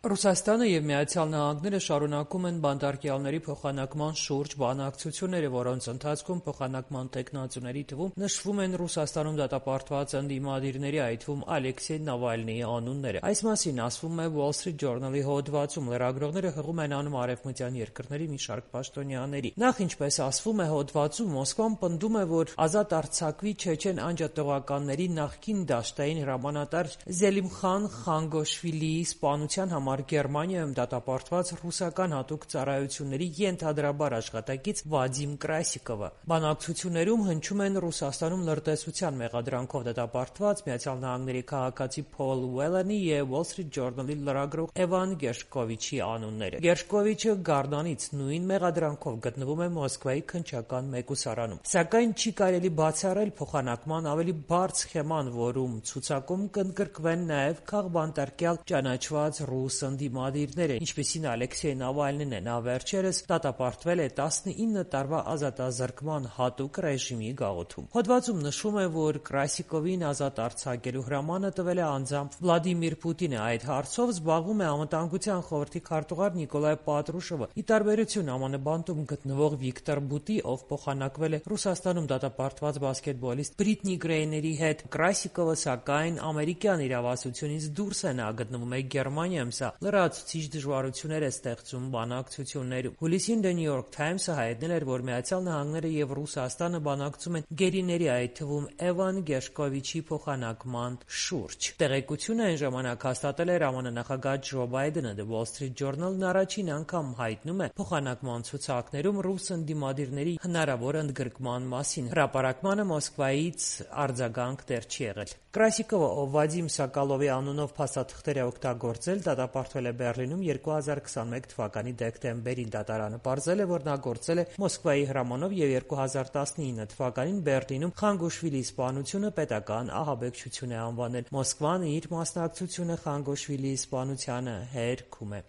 Ռուսաստանը և Միացյալ Նահանգները շարունակում են բանտարկյալների փոխանակման շուրջ բանակցությունները, որոնց ընթացքում փոխանակման թեկնածուների թվում նշվում են Ռուսաստանում դատապարտված ընդդիմադիրների, այդ թվում Ալեքսեյ Նավալնիի անունները։ Այս մասին ասվում է Wall Street Journal-ի հոդվածում։ Լրագրողները հղում են անում արևմտյան երկրների մի շարք պաշտոնյաների։ Նախ, ինչպես ասվում է հոդվածում, Մոսկվան պնդում է, որ ազատ արձակվի չեչեն անջատողականների նախկին դաշտային հրամանատար Զելիմխան Խանգոշվիլիի սպանության համար Գերմանիայում դատապարտված ռուսական հատուկ ծառայությունների ենթադրաբար աշխատակից Վադիմ Կրասիկովը։ Բանակցություններում հնչում են Ռուսաստանում լրտեսության մեղադրանքով դատապարտված ԱՄՆ քաղաքացի Փոլ Ուելանի և Wall Street Journal-ի լրագրող Էվան Գերշկովիչի անունները։ Գերշկովիչը Գարնանից նույն մեղադրանքով գտնվում է Մոսկվայի քննչական մեկուսարանում։ Սակայն չի կարելի բացառել փոխանակման ավելի բարդ սխեման, որում ցուցակում կընդգրկվեն նաև քաղբանտարկյալ ճանաչված ռուս ընդդիմադիրները, ինչպիսին Ալեքսեյ Նավալնին է։ Նա վերջերս դատապարտվել է 19 տարվա ազատազրկման հատուկ ռեժիմի գաղութում։ Հոդվածում նշվում է, որ Կրասիկովին ազատ արձակելու հրամանը տվել է անձամբ Վլադիմիր Պուտինը։ Այդ հարցով զբաղվում է Անվտանգության խորհրդի քարտուղար Նիկոլայ Պատրուշովը։ Ի տարբերություն ԱՄՆ բանտում գտնվող Վիկտոր Բուտի, ով փոխանակվել է Ռուսաստանում դատապարտված բասկետբոլիստ Բրիտնի Գրեյների հետ, Կրասիկովը, սակայն, ամերիկյան իրավասությունից դուրս է։ Նա գտնվում է Գերմանիայում։ Սա լրացուցիչ դժվարություններ է ստեղծում բանակցություններում։ Հուլիսին The New York Times-ը հայտնել էր, որ Միացյալ Նահանգները և Ռուսաստանը բանակցում են գերիների, այդ թվում Էվան Գերշկովիչի փոխանակման շուրջ։ Տեղեկությունը այն ժամանակ հաստատել էր ԱՄՆ նախագահ Ջո Բայդենը։ The Wall Street Journal-ն առաջին անգամ հայտնում է փոխանակման ցուցակներում ռուս ընդդիմադիրների հնարավոր ընդգրկման մասին։ Հրապարակմանը Մոսկվայից արձագանք դեռ չի եղել։ Կրասիկովը, ով Վադիմ Սոկոլովի անունով փաստաթղթեր է օգտագործել, դատապարտվել է Բեռլինում 2021 թվականի դեկտեմբերին։ Դատարանը պարզել է, որ նա գործել է Մոսկվայի հրամանով և 2019 թվականին Բեռլինում Խանգոշվիլիի սպանությունը պետական ահաբեկչություն է անվանել։ Մոսկվան իր մասնակցությունը Խանգոշվիլիի սպանությանը հերքում է։